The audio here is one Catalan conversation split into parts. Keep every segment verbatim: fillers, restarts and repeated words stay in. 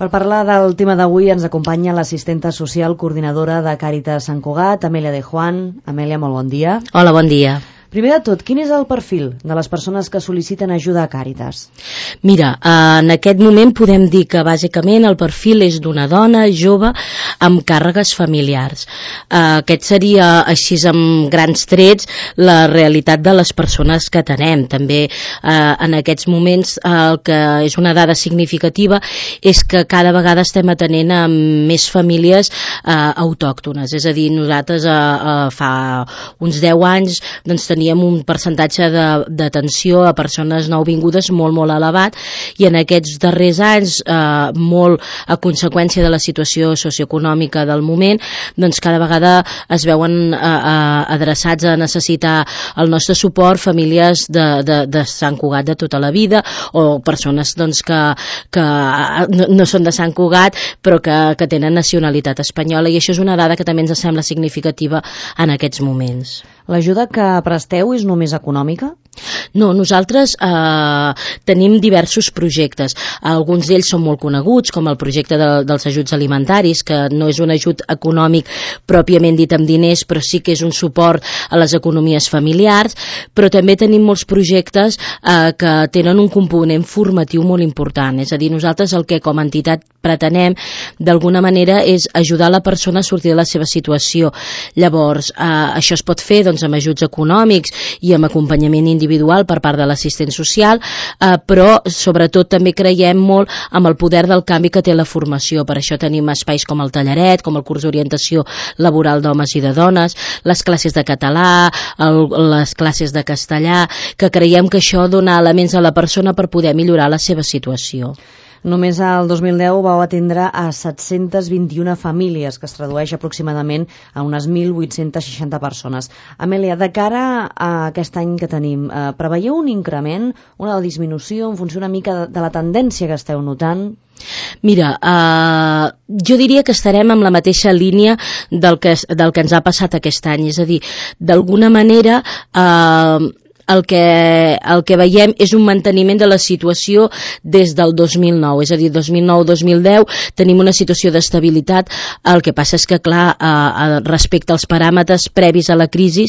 Per parlar del tema d'avui ens acompanya l'assistenta social coordinadora de Càritas Sant Cugat, Amèlia de Juan. Amèlia, molt bon dia. Hola, bon dia. Primer de tot, quin és el perfil de les persones que sol·liciten ajuda a Càritas? Mira, en aquest moment podem dir que bàsicament el perfil és d'una dona jove amb càrregues familiars. Aquest seria, així amb grans trets, la realitat de les persones que atenem. També en aquests moments el que és una dada significativa és que cada vegada estem atenent a més famílies autòctones. És a dir, nosaltres fa uns deu anys doncs teníem teníem un percentatge d'atenció a persones nouvingudes molt, molt elevat, i en aquests darrers anys, eh, molt a conseqüència de la situació socioeconòmica del moment, doncs cada vegada es veuen eh, adreçats a necessitar el nostre suport famílies de, de, de Sant Cugat de tota la vida, o persones doncs, que, que no, no són de Sant Cugat però que, que tenen nacionalitat espanyola, i això és una dada que també ens sembla significativa en aquests moments. L'ajuda que presteu és només econòmica? No, nosaltres eh, tenim diversos projectes. Alguns d'ells són molt coneguts, com el projecte de, dels ajuts alimentaris, que no és un ajut econòmic pròpiament dit amb diners, però sí que és un suport a les economies familiars, però també tenim molts projectes eh, que tenen un component formatiu molt important. És a dir, nosaltres el que com a entitat pretenem d'alguna manera és ajudar la persona a sortir de la seva situació. Llavors, eh, això es pot fer doncs, amb ajuts econòmics i amb acompanyament individual per part de l'assistent social, eh, però sobretot també creiem molt amb el poder del canvi que té la formació. Per això tenim espais com el tallaret, com el curs d'orientació laboral d'homes i de dones, les classes de català, el, les classes de castellà, que creiem que això dona elements a la persona per poder millorar la seva situació. Només el dos mil deu vau atendre a set-cents vint-i-una famílies, que es tradueix aproximadament a unes mil vuit-cents seixanta persones. Amèlia, de cara a aquest any que tenim, eh, preveieu un increment, una disminució en funció una mica de, de la tendència que esteu notant? Mira, eh, jo diria que estarem en la mateixa línia del que, del que ens ha passat aquest any. És a dir, d'alguna manera... Eh, El que, el que veiem és un manteniment de la situació des del dos mil nou, és a dir, dos mil nou dos mil deu tenim una situació d'estabilitat. El que passa és que, clar, eh, respecte als paràmetres previs a la crisi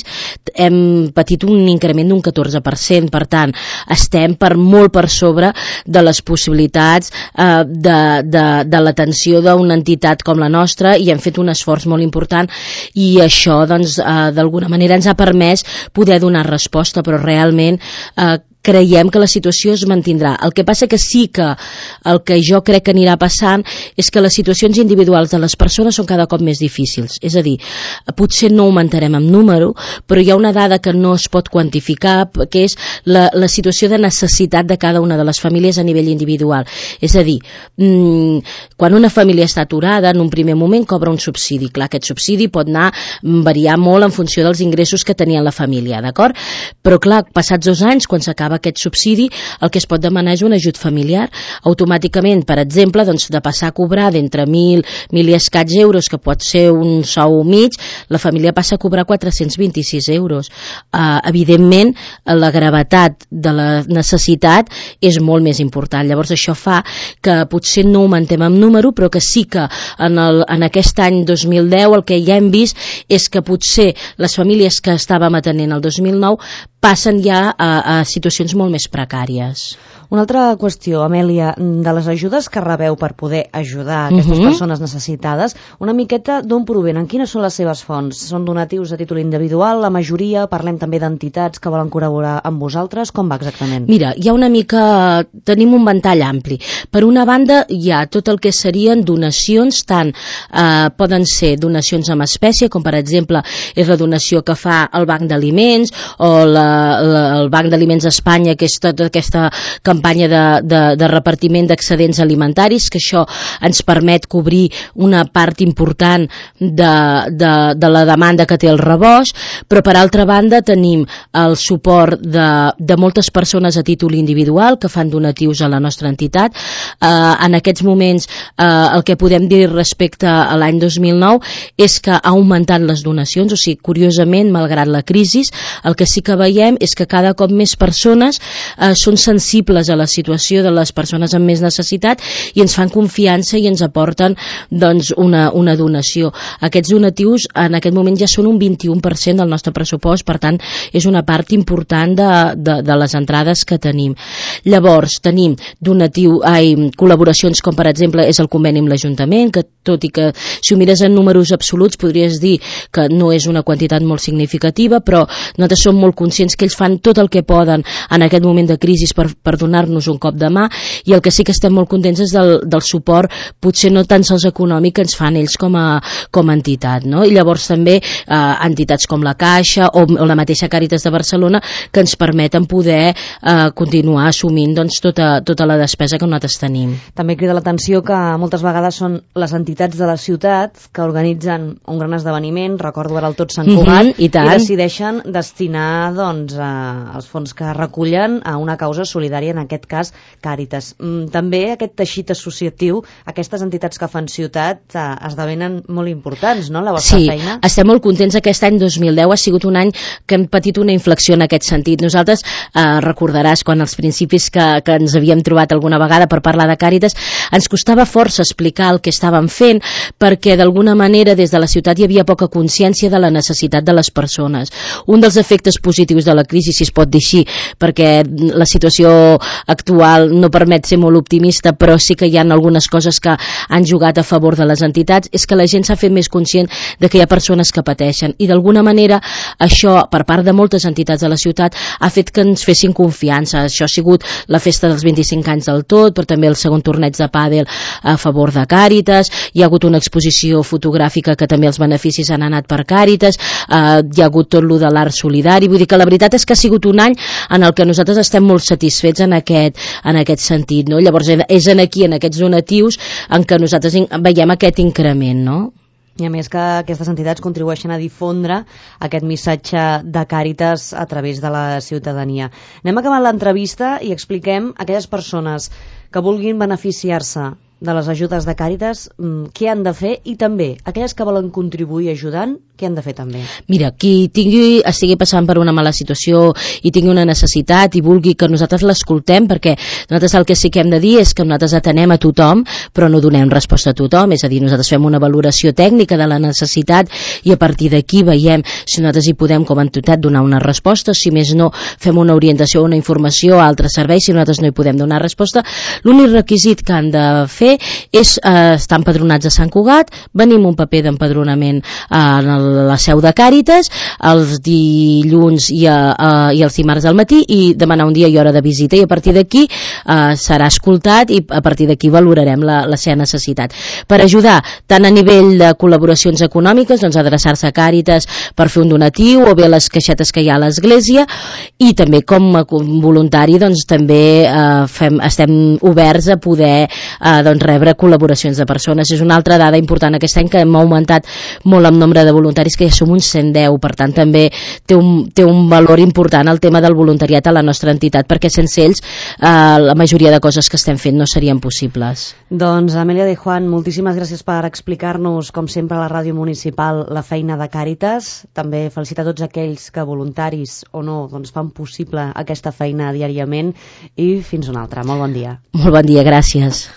hem patit un increment d'un catorze per cent, per tant, estem per molt per sobre de les possibilitats eh, de, de, de l'atenció d'una entitat com la nostra, i hem fet un esforç molt important, i això, doncs, eh, d'alguna manera ens ha permès poder donar resposta, però realment eh, creiem que la situació es mantindrà. El que passa que sí que el que jo crec que anirà passant és que les situacions individuals de les persones són cada cop més difícils. És a dir, potser no augmentarem en número, però hi ha una dada que no es pot quantificar, que és la, la situació de necessitat de cada una de les famílies a nivell individual. És a dir, mmm, quan una família està aturada, en un primer moment cobra un subsidi. Clar, aquest subsidi pot anar variar molt en funció dels ingressos que tenia la família, d'acord? Però clar, passats dos anys, quan s'acaba aquest subsidi, el que es pot demanar és un ajut familiar. Automàticament, per exemple, doncs, de passar a cobrar d'entre mil, mil i escaig euros, que pot ser un sou mig, la família passa a cobrar quatre-cents vint-i-sis euros. Uh, evidentment, la gravetat de la necessitat és molt més important. Llavors, això fa que potser no augmentem en número, però que sí que en, el, en aquest any dos mil deu el que ja hem vist és que potser les famílies que estàvem atenent el dos mil nou passen ja a, a situacions molt més precàries. Una altra qüestió, Amèlia, de les ajudes que rebeu per poder ajudar aquestes uh-huh. persones necessitades, una miqueta d'on provenen, quines són les seves fonts? Són donatius a títol individual, la majoria? Parlem també d'entitats que volen col·laborar amb vosaltres? Com va exactament? Mira, hi ha una mica... tenim un ventall ampli. Per una banda, hi ha tot el que serien donacions, tant eh, poden ser donacions amb espècie, com per exemple és la donació que fa el Banc d'Aliments o la, la, el Banc d'Aliments d'Espanya, que és tota aquesta campanya campanya de, de, de repartiment d'excedents alimentaris, que això ens permet cobrir una part important de, de, de la demanda que té el rebost, però per altra banda tenim el suport de, de moltes persones a títol individual que fan donatius a la nostra entitat. Eh, en aquests moments eh, el que podem dir respecte a l'any dos mil nou és que ha augmentat les donacions, o sigui, curiosament, malgrat la crisi, el que sí que veiem és que cada cop més persones eh, són sensibles a la situació de les persones amb més necessitat i ens fan confiança i ens aporten doncs, una, una donació. Aquests donatius en aquest moment ja són un vint-i-u per cent del nostre pressupost, per tant és una part important de, de, de les entrades que tenim. Llavors tenim donatiu, ai, col·laboracions com per exemple és el conveni amb l'Ajuntament, que tot i que si ho mires en números absoluts podries dir que no és una quantitat molt significativa, però nosaltres som molt conscients que ells fan tot el que poden en aquest moment de crisi per, per donar-nos un cop de mà, i el que sí que estem molt contents és del, del suport, potser no tan sols econòmic, que ens fan ells com a, com a entitat, no? I llavors també eh, entitats com la Caixa o, o la mateixa Càritas de Barcelona, que ens permeten poder eh, continuar assumint doncs, tota, tota la despesa que nosaltres tenim. També crida l'atenció que moltes vegades són les entitats de la ciutat que organitzen un gran esdeveniment, recordo ara el Tot Sant Cugat, mm-hmm, i, i decideixen destinar doncs, eh, els fons que recullen a una causa solidària, en aquest cas Càritas. Mm, també aquest teixit associatiu, aquestes entitats que fan ciutat eh, esdevenen molt importants, no?, la vostra sí, feina. Sí, estem molt contents. Aquest any dos mil deu ha sigut un any que hem patit una inflexió en aquest sentit. Nosaltres, eh, recordaràs, quan als principis que, que ens havíem trobat alguna vegada per parlar de Càritas, ens costava força explicar el que estàvem fent, perquè d'alguna manera des de la ciutat hi havia poca consciència de la necessitat de les persones. Un dels efectes positius de la crisi, si es pot dir així, perquè la situació actual no permet ser molt optimista, però sí que hi ha algunes coses que han jugat a favor de les entitats, és que la gent s'ha fet més conscient de que hi ha persones que pateixen, i d'alguna manera això, per part de moltes entitats de la ciutat, ha fet que ens fessin confiança. Això ha sigut la festa dels vint-i-cinc anys del Tot, però també el segon torneig de pàdel a favor de Càritas, hi ha hagut una exposició fotogràfica que també els beneficis han anat per Càritas, eh, hi ha hagut tot lo de l'art solidari, vull dir que la veritat és que ha sigut un any en el que nosaltres estem molt satisfets en aquest, en aquest sentit, no? Llavors és en aquí, en aquests donatius, en què nosaltres veiem aquest increment, no? I a més que aquestes entitats contribueixen a difondre aquest missatge de Càritas a través de la ciutadania. Anem acabant l'entrevista i expliquem a aquelles persones que vulguin beneficiar-se de les ajudes de Càritas, què han de fer, i també aquelles que volen contribuir ajudant, què han de fer també? Mira, qui tingui, estigui passant per una mala situació i tingui una necessitat i vulgui que nosaltres l'escoltem, perquè nosaltres el que sí que hem de dir és que nosaltres atenem a tothom, però no donem resposta a tothom, és a dir, nosaltres fem una valoració tècnica de la necessitat i a partir d'aquí veiem si nosaltres hi podem com a entitat donar una resposta, si més no fem una orientació o una informació a altres serveis si nosaltres no hi podem donar resposta. L'únic requisit que han de fer és eh, estar empadronats a Sant Cugat, venim un paper d'empadronament eh, en la seu de Càritas els dilluns i, eh, i els dimarts al matí, i demanar un dia i hora de visita, i a partir d'aquí eh, serà escoltat i a partir d'aquí valorarem la, la seva necessitat. Per ajudar tant a nivell de col·laboracions econòmiques, doncs adreçar-se a Càritas per fer un donatiu o bé les caixetes que hi ha a l'església, i també com a voluntari doncs també eh, fem, estem oberts a poder eh, doncs rebre col·laboracions de persones. És una altra dada important aquest any, que hem augmentat molt el nombre de voluntaris, que ja som uns cent deu, per tant també té un, té un valor important el tema del voluntariat a la nostra entitat, perquè sense ells eh, la majoria de coses que estem fent no serien possibles. Doncs Amèlia de Juan, moltíssimes gràcies per explicar-nos, com sempre a la ràdio municipal, la feina de Càritas. També felicitar tots aquells que, voluntaris o no, doncs fan possible aquesta feina diàriament, i fins una altra. Molt bon dia. Molt bon dia, gràcies.